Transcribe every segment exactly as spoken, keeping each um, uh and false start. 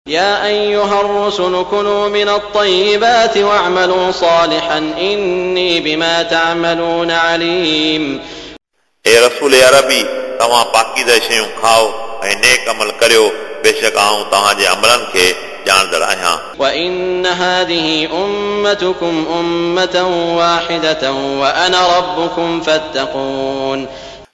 يا أيها الرسل كلوا من الطيبات واعملوا صالحا إني بما تعملون عليم. ए रसूल अरबी, तव्हां पाकीज़ा शयूं खाओ ऐं नेक अमल करियो, बेशक आउं तव्हांजे अमलनि खे ॼाणंदड़ आहियां। وإن هذه أمتكم أمة واحدة وأنا ربكم فاتقون.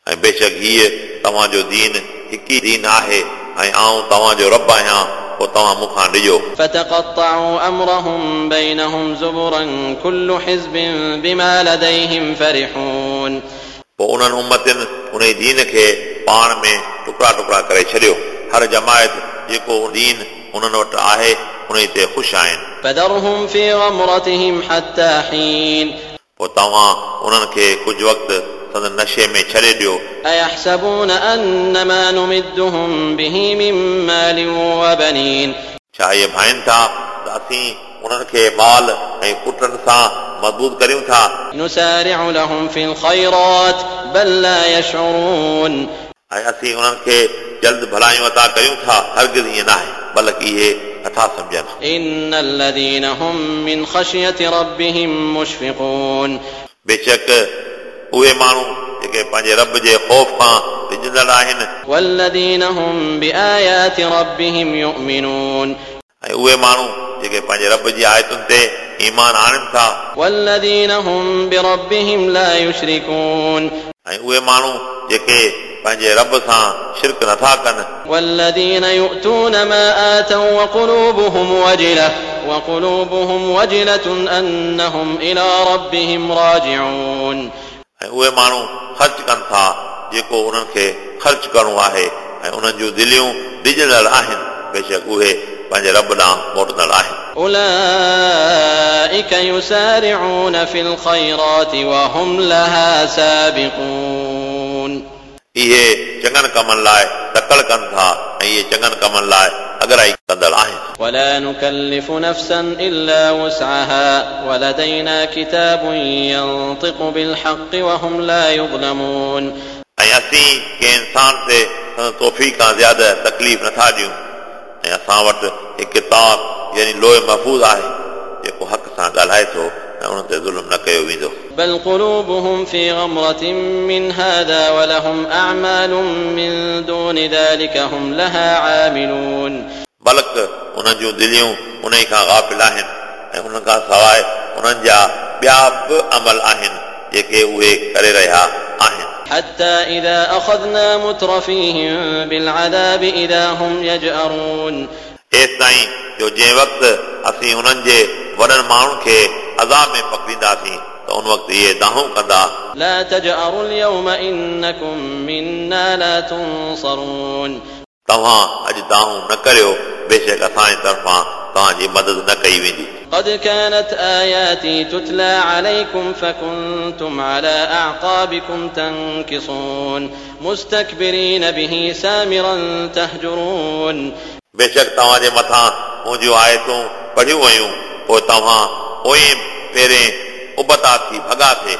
ऐं बेशक हीअ तव्हांजो दीन हिकु ई दीन आहे ऐं आउं तव्हांजो रब आहियां, पोइ तव्हां मूंखां ॾिजो। فتقطعوا أمرهم بينهم زبرا كل حزب بما لديهم فرحون. पोइ उन्हनि उम्मतियुनि उन दीन खे पाण में टुकड़ा टुकड़ा करे छॾियो। हर जमायत जेको दीन उन्हनि वटि आहे उन ते ख़ुशि आहिनि। فذرهم في غمرتهم حتى حين. पोइ तव्हां उन्हनि खे कुझु वक़्तु संदन नशे में छॾे ॾियो। أيحسبون أن ما نمدهم به من مال وبنين. छा इहे भाइनि था त असीं उन्हनि खे माल ऐं पुटनि सां मज़बूत करियूं था? نسارع لهم في الخيرات بل لا يشعرون. ऐं असीं उन्हनि खे जल्द भलायूं अता करियूं था, हरगिज़ ईअं न आहे, बल्कि इहे नथा सम्झनि। إن الذين هم من خشية ربهم مشفقون. बेशक उहे माण्हू जेके पंहिंजे रब जे ख़ौफ़ खां डिॼंदड़ आहिनि। والذين هم بآيات ربهم يؤمنون. ऐं उहे माण्हू जेके पंहिंजे रब जी आयतुनि ते ईमान आणनि था। والذين هم بربهم لا يشركون. ऐं उहे माण्हू जेके पंहिंजे रब सां शिरक नथा कनि। والذين يؤتون ما آتوا وقلوبهم وجلة وقلوبهم وجلة أنهم إلى ربهم راجعون. ऐं उहे माण्हू ख़र्च कनि था जेको उन्हनि खे ख़र्च करिणो आहे ऐं उन्हनि जूं दिलियूं डिॼंदड़ आहिनि, बेशक उहे पंहिंजे रब ॾांहुं मोटंदड़ आहिनि। أولئك يسارعون في الخيرات وهم لها سابقون. इहे चङनि कमनि लाइ तकड़ कनि था ऐं इहे चङनि कमनि लाइ अगराई कंदड़ आहिनि। ولا نكلف نفسا إلا وسعها ولدينا كتاب ينطق بالحق وهم لا يظلمون. ऐं असीं कंहिं इंसान ते संदसि तौफ़ीक़ खां ज़्यादा तकलीफ़ नथा ॾियूं ऐं असां वटि हिकु किताब यानी लोह महफ़ूज़ आहे जेको हक़ सां ॻाल्हाए थो ऐं उन ते ज़ुल्म न कयो वेंदो। بل قلوبهم في غمرة من هذا ولهم أعمال من دون ذلك هم لها عاملون. बल्कि उन्हनि जूं दिलियूं उन खां ग़ाफ़िल आहिनि ऐं उन्हनि खां सवाइ उन्हनि जा ॿिया बि अमल आहिनि जेके उहे करे रहिया आहिनि। حتى إذا أخذنا مترفيهم بالعذاب إذا هم يجأرون. एसि ताईं जो जंहिं वक़्तु असीं उन्हनि जे वॾनि माण्हुनि खे अज़ाब में पकड़ींदासीं त उन वक़्तु इहे दाहूं कंदा। لا تجأروا اليوم إنكم منا لا تنصرون. तव्हां अॼु दाहूं न करियो, बेशक असांजे तरफ़ां तव्हांजी मदद न कई वेंदी। قد كانت آياتي تتلى عليكم فكنتم على أعقابكم تنكصون مستكبرين به سامرا تهجرون. बेशक तव्हांजे मथां मुंहिंजूं आयतूं पढ़ियूं वयूं, पोइ तव्हां पोइ पहिरें उबता थी भॻा थे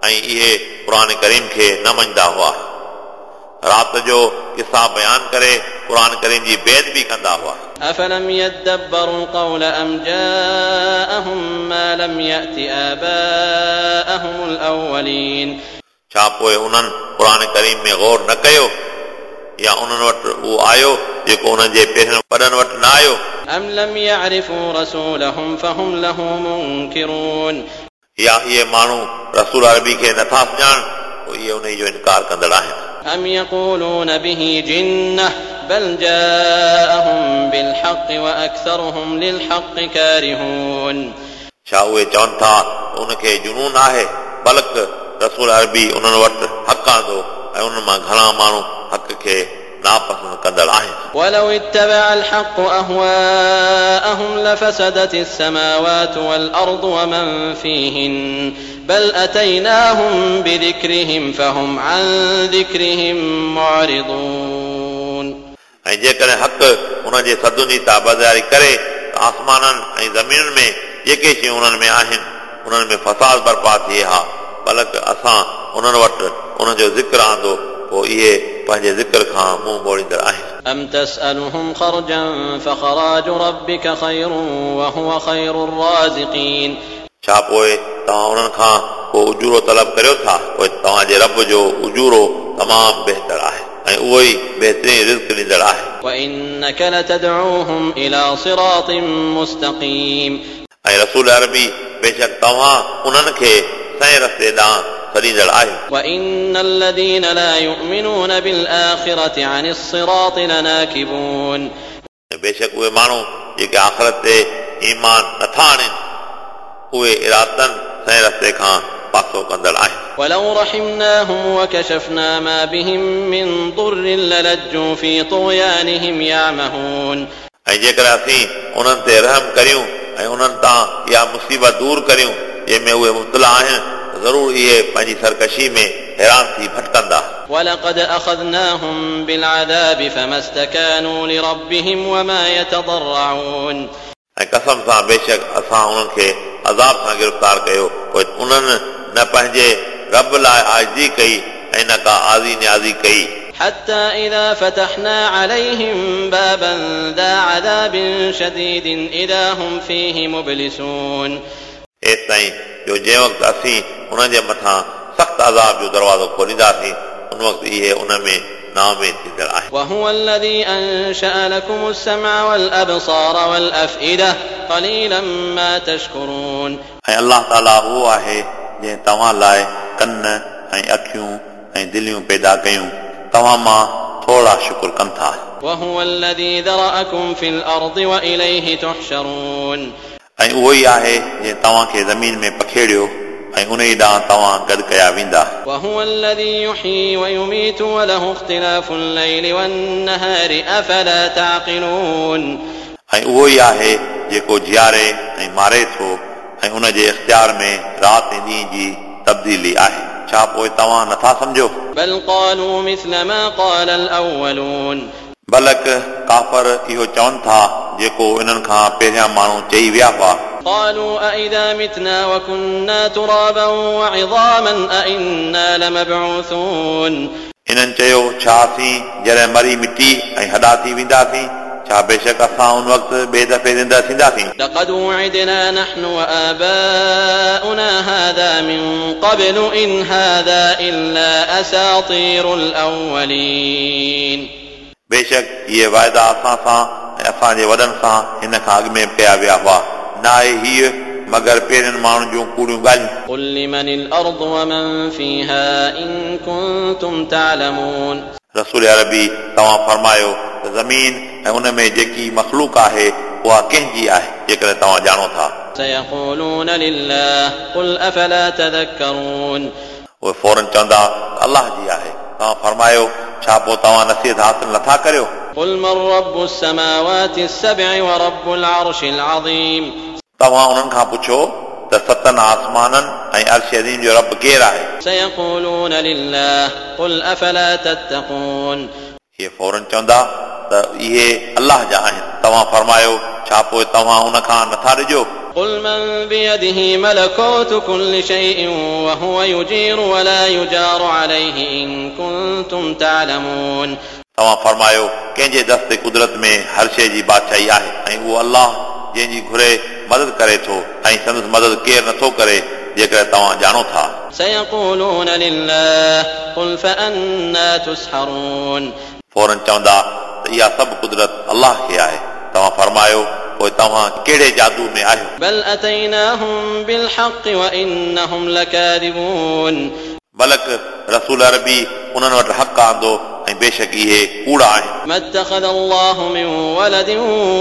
ऐं इहे क़ुर करीम खे न मञींदा हुआ। राति जो किस्सा बयान करे क़ुर करीम जी बेअदबी कंदा हुआ। أفلم يدبروا القول أم جاءهم ما لم يأت آباءهم الأولين. छा पोइ उन्हनि क़ुर करीम में गौर न कयो या उन्हनि वटि उहो आयो जेको उन्हनि जे पहिरियों वॾनि वटि न आयो? أم لم يعرفوا رسولهم فهم له منكرون. या इहे माण्हू रसूल अरबी खे नथा सुञाणनि, पोइ इहे उन जो इनकार कंदड़ आहिनि। أم يقولون به جنة بل جاءهم بالحق وأكثرهم للحق كارهون. छा उहे चवनि था उनखे जुनून आहे? बल्कि रसूल अरबी उन्हनि वटि हक़ आंदो ऐं उन्हनि मां घणा माण्हू हक़ खे नापसंदि कंदड़ आहिनि। ولو اتبع الحق أهواءهم لفسدت السماوات والأرض ومن فيهن بل أتيناهم بذكرهم فهم عن ذكرهم معرضون. ऐं जेकॾहिं हक़ उन्हनि जे सदुनि जी ताबेदारी करे त आसमाननि ऐं ज़मीनुनि में जेके शयूं उन्हनि में आहिनि उन्हनि में फसाद बर्पा थिए हा, बल्कि असां उन्हनि वटि उन्हनि जो ज़िक्र आंदो, पोइ इहे पंहिंजे ज़िक्र खां मुंहुं मोड़ींदड़ आहिनि। أم تسألهم خرجا فخراج ربك خير وهو خير الرازقين छा पोइ तव्हां उन्हनि खां को उजूरो तलब करियो था? पोइ तव्हांजे रब जो उजूरो तमामु बहितर आहे ऐं उहो ई बहितरीन रिज़्क ॾींदड़ आहे। وإنك لتدعوهم إلى صراط مستقيم ऐं रसूल अरबी बेशक तव्हां उन्हनि खे सही रस्ते ॾांहुं सॾींदड़ आहियो। وإن الذين لا يؤمنون بالآخرة عن الصراط لناكبون ऐं बेशक उहे माण्हू जेके आख़िरत ते ईमान नथा आणनि उहे इरादतनि सही रस्ते खां पासो कंदड़ आहिनि। ولو رحمناهم وكشفنا ما بهم من ضر للجوا في طغيانهم يعمهون ऐं जेकॾहिं असीं उन्हनि ते रहम करियूं ऐं उन्हनि तां इहा मुसीबत दूर करियूं जंहिंमें उहे मुब्तला आहिनि, ज़रूरु इहे पंहिंजी सरकशी में हैरान थी भटकंदा। ولقد أخذناهم بالعذاب فما استكانوا لربهم وما يتضرعون ऐं कसम सां बेशक असां उन्हनि खे अज़ाब सां गिरफ़्तार कयो, पोइ उन्हनि न पंहिंजे रब लाइ आजिज़ी कई ऐं न का आज़ी नियाज़ी कई। حتى إذا فتحنا عليهم بابا ذا عذاب شديد إذا هم فيه مبلسون एसि ताईं जो जंहिं वक़्तु असीं उन्हनि जे मथां सख़्तु अज़ाब जो दरवाज़ो खोलींदासीं उन वक़्तु इहे उन में नाउमेद थींदड़ आहिनि। وهو الذي أنشأ لكم السمع والأبصار والأفئدة قليلا ما تشكرون ऐं अलाह ताला उहो आहे जंहिं तव्हां लाइ कन ऐं अखियूं ऐं दिलियूं पैदा कयूं, तव्हां मां थोरा शुक्र कनि था। وهو الذي ذرأكم في الأرض وإليه تحشرون ऐं उहो ई आहे जंहिं तव्हांखे ज़मीन में पखेड़ियो ऐं उन ई ॾांहुं तव्हां गॾु कया वेंदा। وهو الذي يحيي ويميت وله اختلاف الليل والنهار أفلا تعقلون ऐं उहो ई आहे जेको जियारे ऐं मारे थो ऐं उन जे इख़्तियार में राति ऐं ॾींहं जी तब्दीली आहे, छा पोइ तव्हां नथा सम्झो? بل قالوا مثل ما قال الأولون बलक काफ़र इहो चवनि था जेको इन्हनि खां पहिरियां माण्हू चई विया हुआ। قالوا أإذا متنا وكنا ترابا وعظاما أإنا لمبعوثون इन्हनि चयो छा असीं जॾहिं मरी मिटी ऐं हॾा थी वेंदासीं, छा बेशक असां उन वक़्तु ॿिए दफ़े ज़िंदा थींदासीं? لقد وعدنا نحن وآباؤنا هذا من قبل إن هذا إلا أساطير الأولين बेशक इहे वाइदा असां सां ऐं असांजे वॾनि सां हिन खां अॻु में कया विया हुआ, न आहे हीअ मगर पहिरियनि माण्हुनि जूं कूड़ियूं ॻाल्हियूं। قل لمن الأرض ومن فيها إن كنتم تعلمون रसूल अरबी तव्हां फरमायो त ज़मीन ऐं उन में जेकी मख़लूक आहे उहा कंहिंजी आहे, जेकॾहिं तव्हां ॼाणो था। سيقولون لله قل أفلا تذكرون उहे फ़ौरन चवंदा अलाह जी आहे, तव्हां फरमायो छा पोइ तव्हां नसीहत हासिल नथा करियो? قل من رب السماوات السبع ورب العرش العظيم तव्हां उन्हनि खां पुछो त सतनि आसमाननि ऐं अर्श अज़ीम जो रब केरु आहे? سيقولون لله قل أفلا تتقون इहे फ़ौरन चवंदा त इहे अलाह जा आहिनि, तव्हां फरमायो छा पोइ तव्हां उन खां नथा ॾिजो? قل من بيده ملكوت كل شيء وهو يجير ولا يجار عليه إن كنتم تعلمون तव्हां फरमायो कंहिंजे दस्त कुदरत में हर शइ जी बादशाही आहे ऐं उहो अलाह जंहिंजी घुरे मदद करे थो ऐं संदसि मदद केरु नथो करे, जेकॾहिं तव्हां ॼाणो था। سيقولون لله قل فأنا تسحرون फ़ौरन चवंदा त इहा सभु कुदरत अलाह खे आहे, तव्हां फरमायो पोइ तव्हां कहिड़े जादू में आहियो? بل أتيناهم بالحق وإنهم لكاذبون बलक रसूल अरबी उन्हनि वटि हक़ आंदो ऐं बेशक इहे कूड़ा आहिनि। ما اتخذ الله من ولد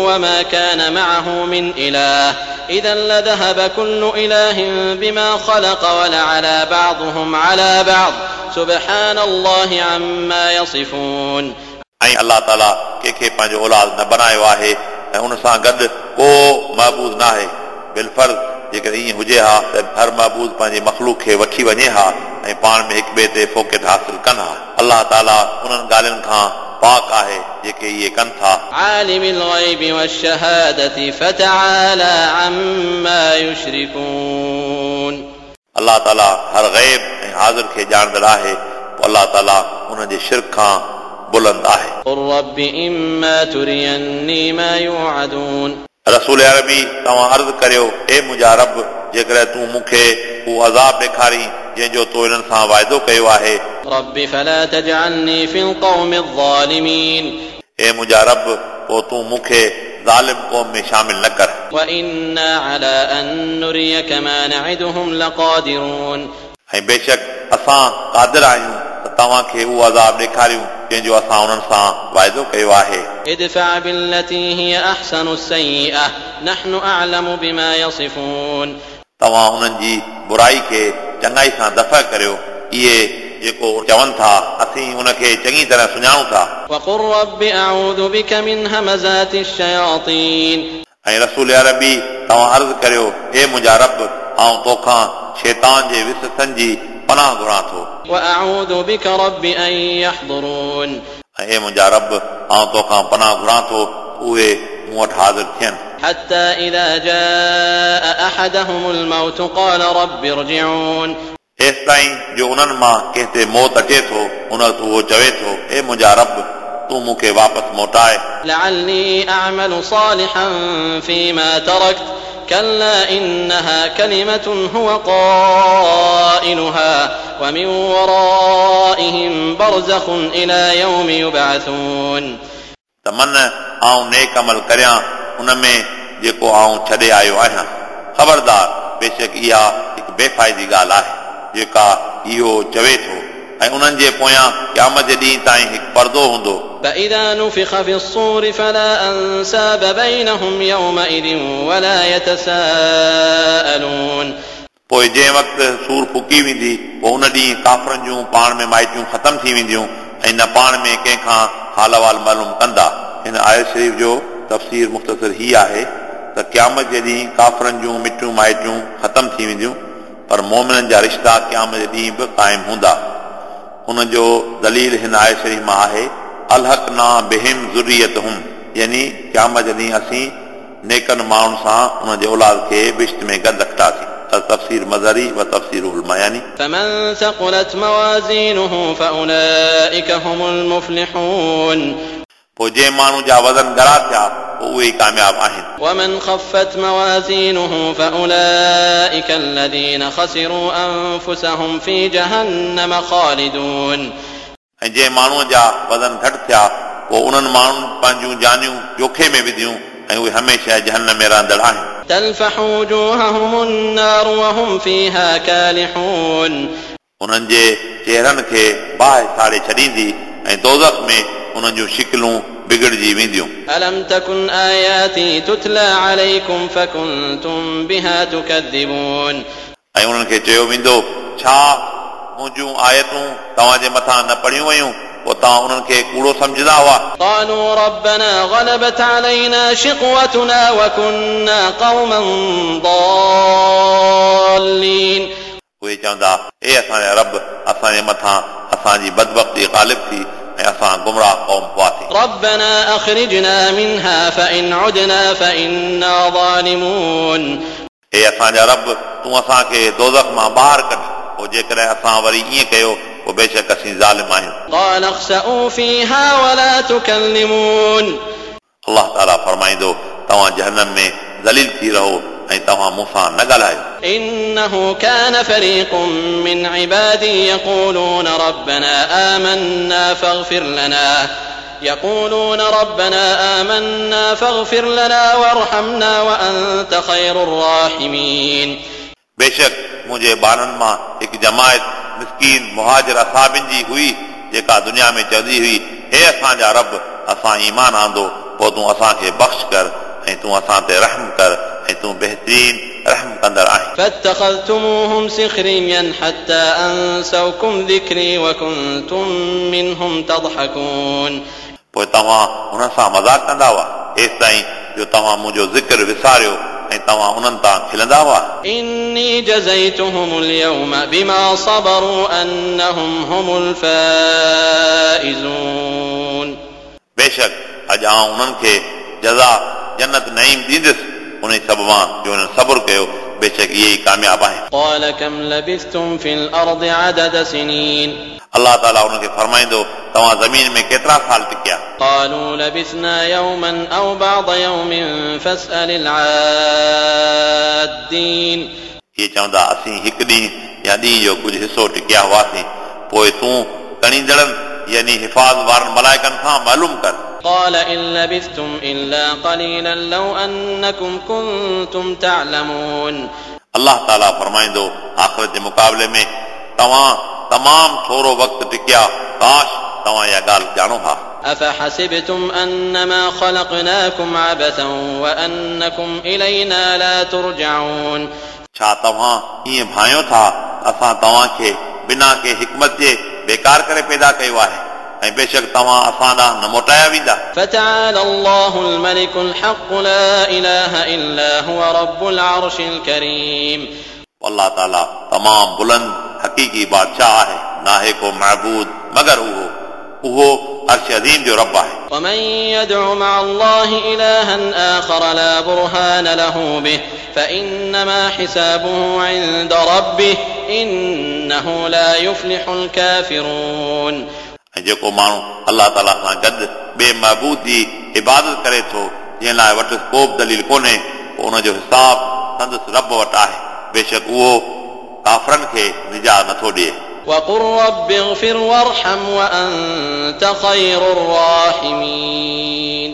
وما كان معه من إله إذا لذهب كل إله بما خلق ولعلى بعضهم على بعض سبحان الله عما يصفون ऐं अलाह ताला कंहिंखे पंहिंजो औलाद न बणायो आहे ऐं उन सां गॾु को महबूद न आहे। बिलफर्ज़ जेकॾहिं ईअं हुजे हा त हर महबूद पंहिंजी मख़लूक खे वठी वञे हा ऐं पाण में हिक ॿिए ते फ़ोकियत हासिल कनि हा। अलाह ताला उन्हनि ॻाल्हियुनि खां पाक आहे जेके इहे कनि था। عالم الغيب والشهادة فتعالى عما يشركون अलाह ताला हर ग़ैब ऐं हाज़िर खे ॼाणंदड़ आहे, पोइ अलाह ताला उन्हनि जे शिर्क खां बुलंद आहे। قل رب إما تريني ما يوعدون। रसूल अरबी तव्हां अर्ज़ करियो, ए मुंहिंजा रब, जेकॾहिं तूं मूंखे उहो अज़ाब ॾेखारी जंहिंजो तो इन्हनि सां वाइदो कयो आहे। رب فلا تجعلني في القوم الظالمين। ए मुंहिंजा रब, पोइ तूं मूंखे ज़ालिम क़ौम में शामिल न कर। وإنا على أن نريك ما نعدهم لقادرون। ऐं बेशक असां क़ादिर आहियूं त तव्हांखे उहो अज़ाब ॾेखारियूं जंहिंजो असां उन्हनि सां वाइदो कयो आहे। ادفع بالتي هي أحسن السيئة نحن أعلم بما يصفون। तव्हां उन्हनि जी बुराई खे चङाई सां दफ़ा करियो, इहे जेको चवनि था असीं उनखे चङी तरह सुञाणूं था। وقل رب أعوذ بك من همزات الشياطين। ऐं रसूल अरबी तव्हां अर्ज़ करियो, हे मुंहिंजा रब, आउं तोखां शैतान जे विसथनि जी पनाह घुरां थो। وأعوذ بك رب أن يحضرون। ऐं हे मुंहिंजा रब, आउं तोखां पनाह घुरां थो उहे मूं वटि हाज़िर थियनि। حتى إذا جاء أحدهم الموت قال رب ارجعون। हेसि ताईं जो उन्हनि मां कंहिं ते मौत अचे थो, उन वक़्तु उहो चवे थो, हे मुंहिंजा रब, तूं मूंखे वापसि मोटाए। لعلي أعمل صالحا فيما تركت كلا إنها كلمة هو قائلها ومن ورائهم برزخ إلى يوم يبعثون। त मन आउं नेक अमल करियां उन में जेको आउं छॾे आयो आहियां। ख़बरदार, बेशक इहा हिकु बेफ़ाइदी ॻाल्हि आहे जेका इहो चवे थो, ऐं उन्हनि जे पोयां क़यामत जे ॾींहुं ताईं हिकु पर्दो हूंदो। فإذا نفخ في الصور فلا أنساب بينهم يومئذ ولا يتساءلون। पोइ जंहिं वक़्तु सूर फुकी वेंदी, पोइ उन ॾींहुं काफ़रनि जूं पाण में माइटियूं ख़तमु थी वेंदियूं ऐं न पाण में कंहिंखां हाल अहिवाल मालूम कंदा। हिन आयत शरीफ़ जो तफ़सीर मुख़्तसर ही आहे त क़यामत जे ॾींहुं काफ़रनि जूं मिटियूं माइटियूं ख़तमु थी वेंदियूं, पर मोमिननि जा रिश्ता क़यामत जे ॾींहुं बि क़ाइमु हूंदा। उन जो दलील हिन आयत शरीफ़ मां आहे, अलहक ना बिहिम ज़ुर्रियतहुम, यानी क़यामत जे ॾींहुं असीं नेकनि माण्हुनि सां उन जे औलाद खे बिश्त में गॾु रखंदासीं। तफ़सीर मज़हरी व तफ़सीर मायानी। فمن ثقلت موازينه فأولئك هم المفلحون। पोइ जंहिं माण्हू जा वज़न ॻरा थिया, पोइ उहे ई कामयाब आहिनि। ومن خفت موازينه فأولئك الذين خسروا أنفسهم في جهنم خالدون। ऐं जंहिं माण्हूअ जा वज़न घटि थिया, पोइ उन्हनि माण्हुनि पंहिंजूं जानियूं जोखे में विधियूं ऐं उहे हमेशह जहन्नम में रहंदड़ आहिनि। تلفح وجوههم النار وهم فيها كالحون। उन्हनि जे चेहरनि खे बाहि साड़े छॾींदी ऐं दोज़ख में उन्हनि जूं शिकलूं बिगड़िजी वेंदियूं। ألم تكن آياتي تتلى عليكم فكنتم بها تكذبون। ऐं उन्हनि खे चयो वेंदो, छा मुंहिंजूं आयतूं तव्हांजे मथां न पढ़ियूं वयूं, पोइ तव्हां उन्हनि खे कूड़ो सम्झंदा हुआ? قالوا ربنا غلبت علينا شقوتنا وكنا قوما ضالين। उहे चवंदा, हे असांजा रब, असांजे मथां असांजी बदबख़्ती ग़ालिब थी ऐं असां गुमराह क़ौम हुआसीं। ربنا أخرجنا منها فإن عدنا فإنا ظالمون। हे असांजा रब, तूं असांखे दोज़ख मां ॿाहिरि कढ, पोइ जेकॾहिं असां वरी ईअं कयो, पोइ बेशक असीं ज़ालिम आहियूं। قال اخسئوا فيها ولا تكلمون। अलाह ताला फरमाईंदो, तव्हां जहन्नम में ज़लील थी रहो ऐं तव्हां मूंसां न ॻाल्हायो। إنه كان فريق من عبادي يقولون ربنا آمنا فاغفر لنا يقولون ربنا آمنا فاغفر لنا وارحمنا وأنت خير الراحمين. बेशक मुंहिंजे ॿारनि मां हिकु जमायत मिसकीन मुहाजिर असाबिन जी हुई जेका दुनिया में चवंदी हुई, हे असांजा रब, असां ईमान आंदो, पोइ तूं असांखे बख़्श कर ऐं तूं असां ते रहम कर ऐं तूं बहितरीन रहम कंदड़ आहीं. فاتخذتموهم سخريا حتى أنسوكم ذكري وكنتم منهم تضحكون. पोइ तव्हां हुन सां मज़ाक कंदा हुआ हेसि ताईं जो तव्हां मुंहिंजो ज़िक्र विसारियो ऐं तव्हां उन्हनि तां खिलंदा हुआ. إني جزيتهم اليوم بما صبروا أنهم هم الفائزون. बेशक अॼु आउं उन्हनि खे जज़ा जन्नत नईम ॾींदुसि उन सबब मां जो हुननि सब्र कयो, बेशक इहे ई कामयाब आहिनि. قال كم لبثتم في الأرض عدد سنين. अलाह ताला उन्हनि खे फ़रमाईंदो तव्हां ज़मीन में केतिरा साल टिकिया? قالوا لبثنا يوما أو بعض يوم فاسأل العادين. इहे चवंदा असीं हिकु ॾींहुं या ॾींहं जो कुझु हिसो टिकिया हुआसीं, पोइ तूं गणींदड़नि यानी हिफ़ाज़ वारनि मलाइकनि खां मालूम कर। قال إن لبثتم إلا قليلا لو أنكم كنتم تعلمون. अलाह ताला फ़रमाईंदो आख़िरत जे मुक़ाबले में तव्हां तमामु थोरो वक़्तु टिकिया, काश तव्हां इहा ॻाल्हि ॼाणो हा। أفحسبتم أنما خلقناكم عبثا وأنكم إلينا لا ترجعون. छा तव्हां ईअं भायो था असां तव्हांखे बिना कंहिं हिकमत जे बेकार करे पैदा कयो आहे ऐं बेशक तव्हां असां ॾांहुं न मोटाया वेंदा। فتعالى الله الملك الحق لا إله إلا هو رب العرش الكريم. अलाह ताला तमामु बुलंद हक़ीक़ी बादशाह आहे, नाहे को महबूद मगर उहो उहो अर्श अज़ीम जो रब आहे। ومن يدع مع الله إلها آخر لا برهان له به فإنما حسابه عند ربه إنه لا يفلح الكافرون. ऐं जेको माण्हू अलाह ताला सां गॾु ॿिए महबूद जी इबादत करे थो जंहिं लाइ वटि को बि दलील कोन्हे, पोइ उनजो हिसाब संदसि रब वटि आहे, बेशक उहो काफ़रनि खे निजात नथो ॾिए। وقل رب اغفر وارحم وأنت خير الراحمين.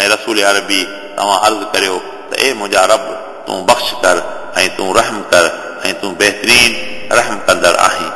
ऐं रसूल अरबी तव्हां अर्ज़ करियो त ए मुंहिंजा रब, तूं बख़्श कर ऐं तूं रहम कर ऐं तूं बहितरीन रहम कंदड़ आहीं।